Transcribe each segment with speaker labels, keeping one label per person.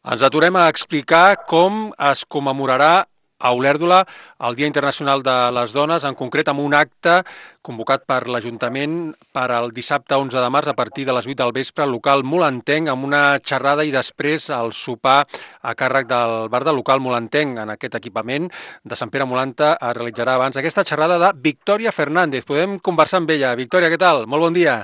Speaker 1: Ens aturem a explicar com es commemorarà a Olèrdola el Dia Internacional de les Dones, en concret amb un acte convocat per l'Ajuntament per al dissabte 11 de març a partir de les 8 del vespre al local Molentenc, amb una xerrada i després el sopar a càrrec del bar del local Molentenc. En aquest equipament de Sant Pere Molanta es realitzarà abans aquesta xerrada de Victòria Fernández. Podem conversar amb ella. Victòria, què tal? Molt bon dia.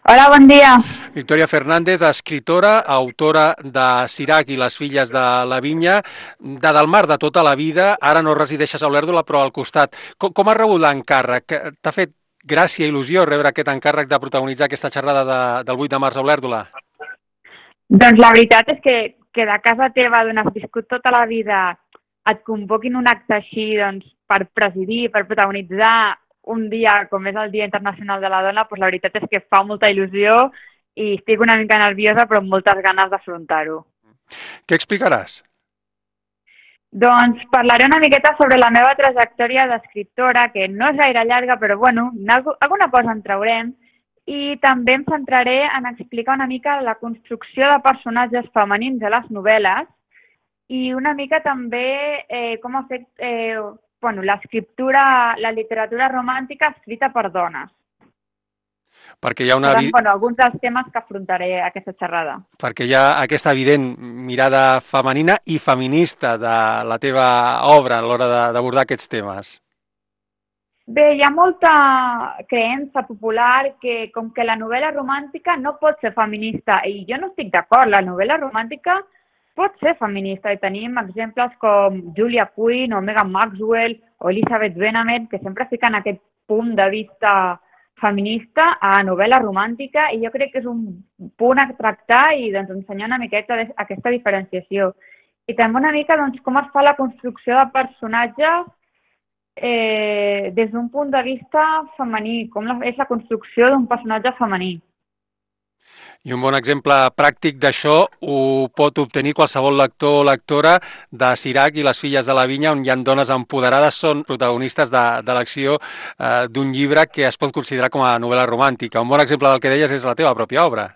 Speaker 2: Hola, bon dia.
Speaker 1: Victòria Fernández, escritora, autora de Sirac i les filles de la vinya, de Del mar de tota la vida, ara no resideixes a Olèrdola però al costat. Com has rebut l'encàrrec? T'ha fet gràcia i il·lusió rebre aquest encàrrec de protagonitzar aquesta xerrada del 8 de març a Olèrdola?
Speaker 2: Doncs la veritat és que de casa teva, d'on has viscut tota la vida, et convoquin un acte així doncs, per presidir, per protagonitzar un dia com és el Dia Internacional de la Dona, doncs la veritat és que fa molta il·lusió i estic una mica nerviosa però amb moltes ganes d'afrontar-ho.
Speaker 1: Què explicaràs?
Speaker 2: Doncs parlaré una miqueta sobre la meva trajectòria d'escriptora, que no és gaire llarga, però bueno, alguna cosa en traurem, i també em centraré en explicar una mica la construcció de personatges femenins a les novel·les i una mica també com ha fet l'escriptura, la literatura romàntica escrita per dones.
Speaker 1: Perquè hi ha
Speaker 2: alguns dels temes que afrontaré a aquesta xerrada.
Speaker 1: Perquè hi ha aquesta evident mirada femenina i feminista de la teva obra a l'hora d'abordar aquests temes.
Speaker 2: Bé, hi ha molta creença popular que com que la novel·la romàntica no pot ser feminista, i jo no estic d'acord, la novel·la romàntica pot ser feminista i tenim exemples com Julia Quinn o Megan Maxwell o Elizabeth Bennet que sempre fiquen aquest punt de vista feminista a novel·la romàntica i jo crec que és un punt a tractar i doncs, ensenyar una miqueta aquesta diferenciació. I també una mica doncs, com es fa la construcció de personatges des d'un punt de vista femení, com és la construcció d'un personatge femení.
Speaker 1: I un bon exemple pràctic d'això ho pot obtenir qualsevol lector o lectora de Sirac i les filles de la vinya, on hi ha dones empoderades, són protagonistes de l'acció d'un llibre que es pot considerar com a novel·la romàntica. Un bon exemple del que deies és la teva pròpia obra.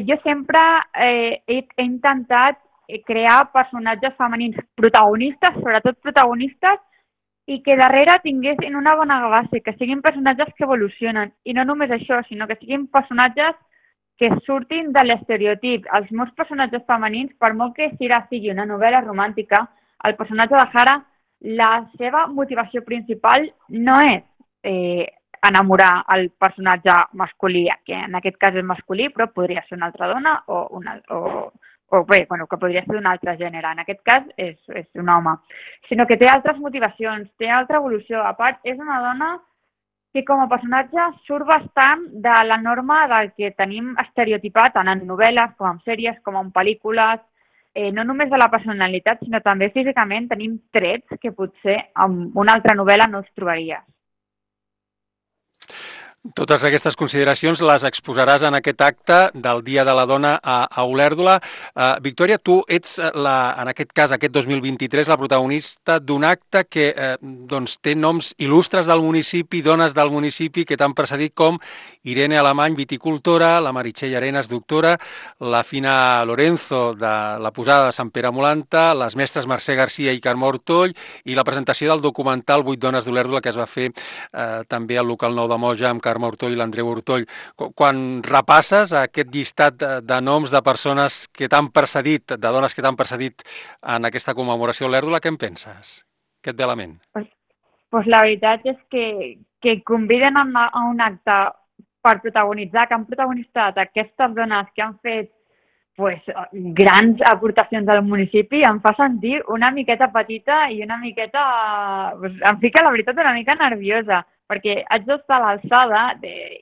Speaker 2: Jo sempre he intentat crear personatges femenins protagonistes, sobretot protagonistes, i que darrere tinguessin una bona base, que siguin personatges que evolucionen. I no només això, sinó que siguin personatges que surtin de l'estereotip. Els meus personatges femenins, per molt que Sira sigui una novel·la romàntica, el personatge de Hara, la seva motivació principal no és enamorar el personatge masculí, que en aquest cas és masculí, però podria ser una altra dona que podria ser d'un altre gènere. En aquest cas és un home. Sinó que té altres motivacions, té altra evolució. A part, és una dona que com a personatge surt bastant de la norma del que tenim estereotipat tant en novel·les, com en sèries, com en pel·lícules. No només de la personalitat, sinó també físicament tenim trets que potser en una altra novel·la no els trobaries.
Speaker 1: Totes aquestes consideracions les exposaràs en aquest acte del Dia de la Dona a Olèrdola. Victòria, tu ets, en aquest cas, aquest 2023, la protagonista d'un acte que té noms il·lustres del municipi, dones del municipi que t'han precedit com Irene Alemany, viticultora, la Meritxell Arenas, doctora, la Fina Lorenzo, de la posada de Sant Pere Molanta, les mestres Mercè Garcia i Carme Ortoll, i la presentació del documental 8 dones d'Olèrdola, que es va fer també al local Nou de Moja amb Carme Ortoll i l'Andreu Ortoll. Quan repasses aquest llistat de noms de persones que t'han precedit, de dones que t'han precedit en aquesta commemoració a Olèrdola, què en penses? Què et ve a la ment?
Speaker 2: Pues la veritat és que conviden a un acte per protagonitzar, que han protagonitzat aquestes dones que han fet grans aportacions al municipi, em fa sentir una miqueta petita i una miqueta... em fica, la veritat, una mica nerviosa, perquè haig d'estar a l'alçada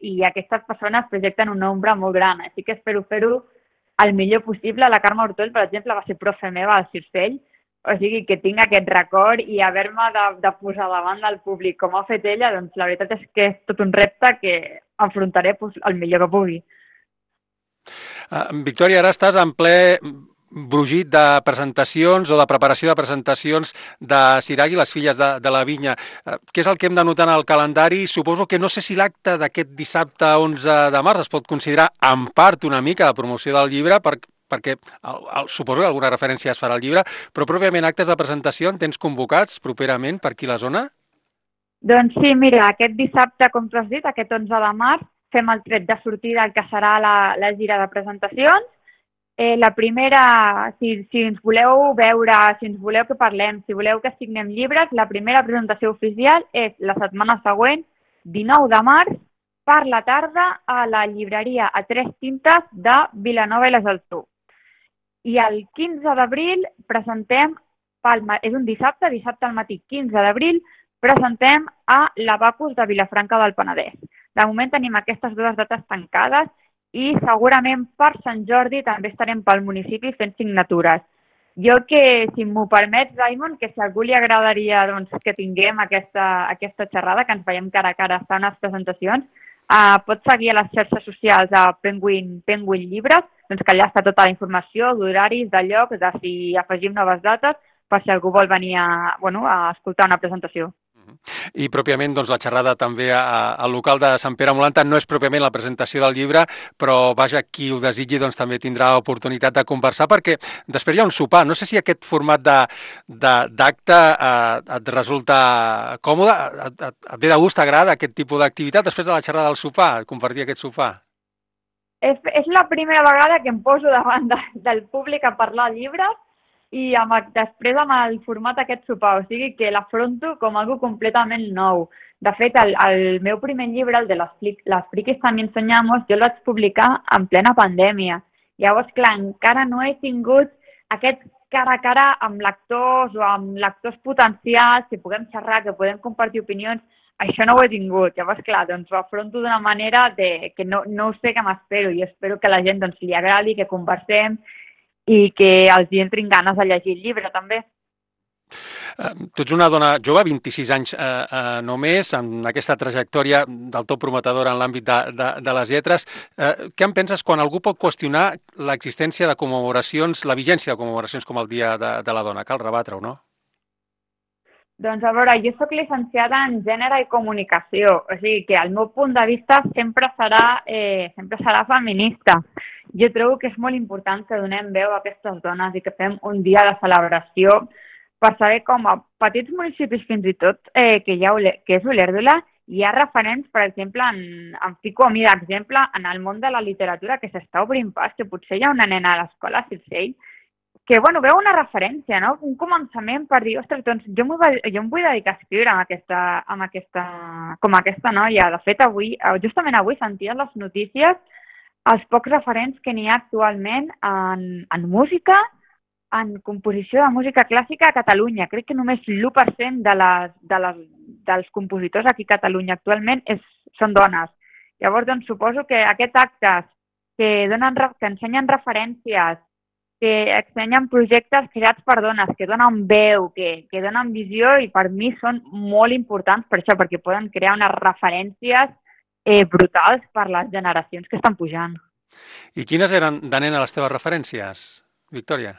Speaker 2: i aquestes persones projecten una ombra molt gran, així que espero fer-ho el millor possible. La Carme Ortoll, per exemple, va ser profe meva al Circell, o sigui que tinc aquest record i haver-me de posar davant del públic com ha fet ella, doncs la veritat és que és tot un repte que enfrontaré el millor que pugui.
Speaker 1: Victòria, ara estàs en ple brugit de presentacions o de preparació de presentacions de Sirac i les filles de la vinya. Què és el que hem de notar en el calendari? Suposo que no sé si l'acte d'aquest dissabte 11 de març es pot considerar en part una mica de promoció del llibre, perquè suposo que alguna referència es farà al llibre, però pròpiament actes de presentació en tens convocats properament per aquí a la zona?
Speaker 2: Doncs sí, mira, aquest dissabte, com tu has dit, aquest 11 de març, fem el tret de sortida del que serà la gira de presentacions. La primera, si ens voleu veure, si ens voleu que parlem, si voleu que signem llibres, la primera presentació oficial és la setmana següent, 19 de març, per la tarda, a la llibreria a Tres Tintes de Vilanova i la Geltrú. I el 15 d'abril presentem, és un dissabte al matí 15 d'abril, presentem a l'Abacus de Vilafranca del Penedès. De moment tenim aquestes dues dates tancades i segurament per Sant Jordi també estarem pel municipi fent signatures. Jo que, si m'ho permets, Raimon, que si a algú li agradaria doncs, que tinguem aquesta xerrada, que ens veiem cara a cara a fer unes presentacions, pots seguir a les xarxes socials a Penguin Llibres, doncs que allà està tota la informació d'horaris, de llocs, de si afegim noves dates, per si algú vol venir a escoltar una presentació.
Speaker 1: I pròpiament doncs, la xerrada també al local de Sant Pere Molanta no és pròpiament la presentació del llibre, però vaja, qui ho desitgi doncs, també tindrà oportunitat de conversar, perquè després hi ha un sopar. No sé si aquest format d'acte et resulta còmode, et ve de gust, t'agrada aquest tipus d'activitat després de la xerrada del sopar, compartir aquest sopar?
Speaker 2: És la primera vegada que em poso davant del públic a parlar llibres i després amb el format aquest sopar, o sigui que l'afronto com algo completament nou. De fet, el meu primer llibre, el de Les friquis también soñamos, jo el vaig publicar en plena pandèmia. Llavors, clar, encara no he tingut aquest cara a cara amb lectors o amb lectors potencials, que puguem xerrar, que podem compartir opinions. Això no ho he tingut. Llavors, clar, doncs ho afronto d'una manera que no ho sé què m'espero i espero que a la gent doncs, li agradi, que conversem i que els hi entrin ganes de llegir el llibre, també.
Speaker 1: Tu ets una dona jove, 26 anys només, amb aquesta trajectòria del tot prometedora en l'àmbit de les lletres. Què en penses quan algú pot qüestionar l'existència de commemoracions, la vigència de commemoracions com el Dia de la Dona? Cal rebatre-ho, no?
Speaker 2: Doncs a veure, jo soc llicenciada en Gènere i Comunicació, o sigui que el meu punt de vista sempre serà feminista. Jo trobo que és molt important que donem veu a aquestes dones i que fem un dia de celebració per saber com a petits municipis fins i tot, que és Olèrdola, hi ha referents, per exemple, em fico a mi d'exemple, en el món de la literatura que s'està obrint pas, que potser hi ha una nena a l'escola, Circell, que, bueno, veu una referència, no? Un començament per dir, ostres, doncs jo em vull dedicar a escriure com aquesta noia. De fet, justament avui sentia les notícies els pocs referents que n'hi ha actualment en música, en composició de música clàssica a Catalunya. Crec que només l'1% dels compositors aquí a Catalunya actualment són dones. Llavors, doncs, suposo que aquests actes que ensenyen referències, que ensenyen projectes creats per dones, que donen veu, que donen visió i per mi són molt importants per això, perquè poden crear unes referències brutals per les generacions que estan pujant.
Speaker 1: I quines eren de nena les teves referències, Victòria?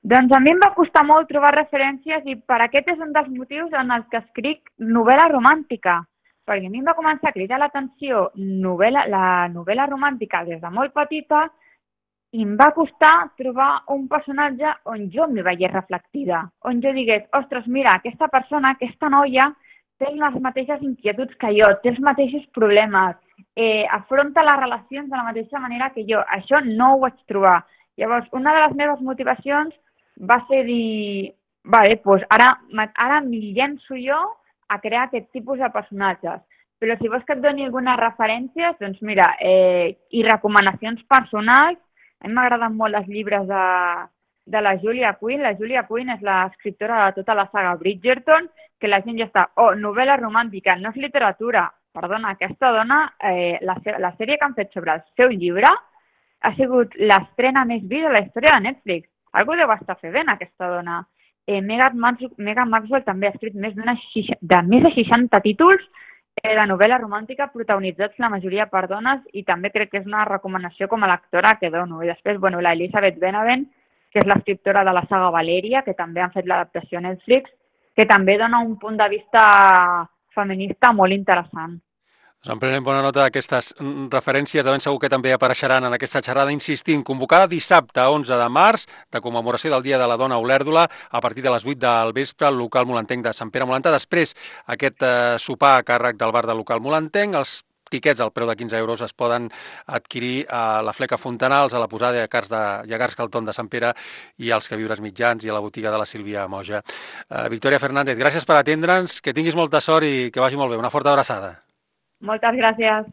Speaker 2: Doncs a mi em va costar molt trobar referències i per aquest és un dels motius en els que escric novel·la romàntica, perquè a mi em va començar a cridar l'atenció la novel·la romàntica des de molt petita i em va costar trobar un personatge on jo m'hi veiés reflectida, on jo digués, ostres, mira, aquesta persona, aquesta noia, té les mateixes inquietuds que jo, té els mateixos problemes, afronta les relacions de la mateixa manera que jo. Això no ho vaig trobar. Llavors, una de les meves motivacions va ser dir, vale, doncs ara m'hi llenço jo a crear aquest tipus de personatges. Però si vols que et doni algunes referències, doncs mira, i recomanacions personals, a mi m'agraden molt els llibres de la Julia Quinn. La Julia Quinn és l'escriptora de tota la saga Bridgerton, que la gent ja està, novel·la romàntica, no és literatura. Perdona, aquesta dona, la sèrie que han fet sobre el seu llibre ha sigut l'estrena més vista de la història de Netflix. Algú deu estar fent aquesta dona. Megan Maxwell també ha escrit més de 60 títols de novel·la romàntica protagonitzats la majoria per dones i també crec que és una recomanació com a lectora que dono. I després, bueno, la Elizabeth Benavent, que és l'escriptora de la saga Valeria, que també han fet l'adaptació a Netflix, que també dona un punt de vista feminista molt interessant.
Speaker 1: En prenem bona nota d'aquestes referències, de ben segur que també apareixeran en aquesta xerrada, insistint, convocada dissabte 11 de març, de commemoració del Dia de la Dona a Olèrdola, a partir de les 8 del vespre, al local molantenc de Sant Pere Molantà. Després, aquest sopar a càrrec del bar del local molantenc, els tiquets al preu de 15 euros es poden adquirir a la Fleca Fontanals, a la posada de Llegars Calton de Sant Pere i als queviures mitjans i a la botiga de la Sílvia Moja. Victòria Fernández, gràcies per atendre'ns, que tinguis molta sort i que vagi molt bé. Una forta abraçada.
Speaker 2: Moltes gràcies.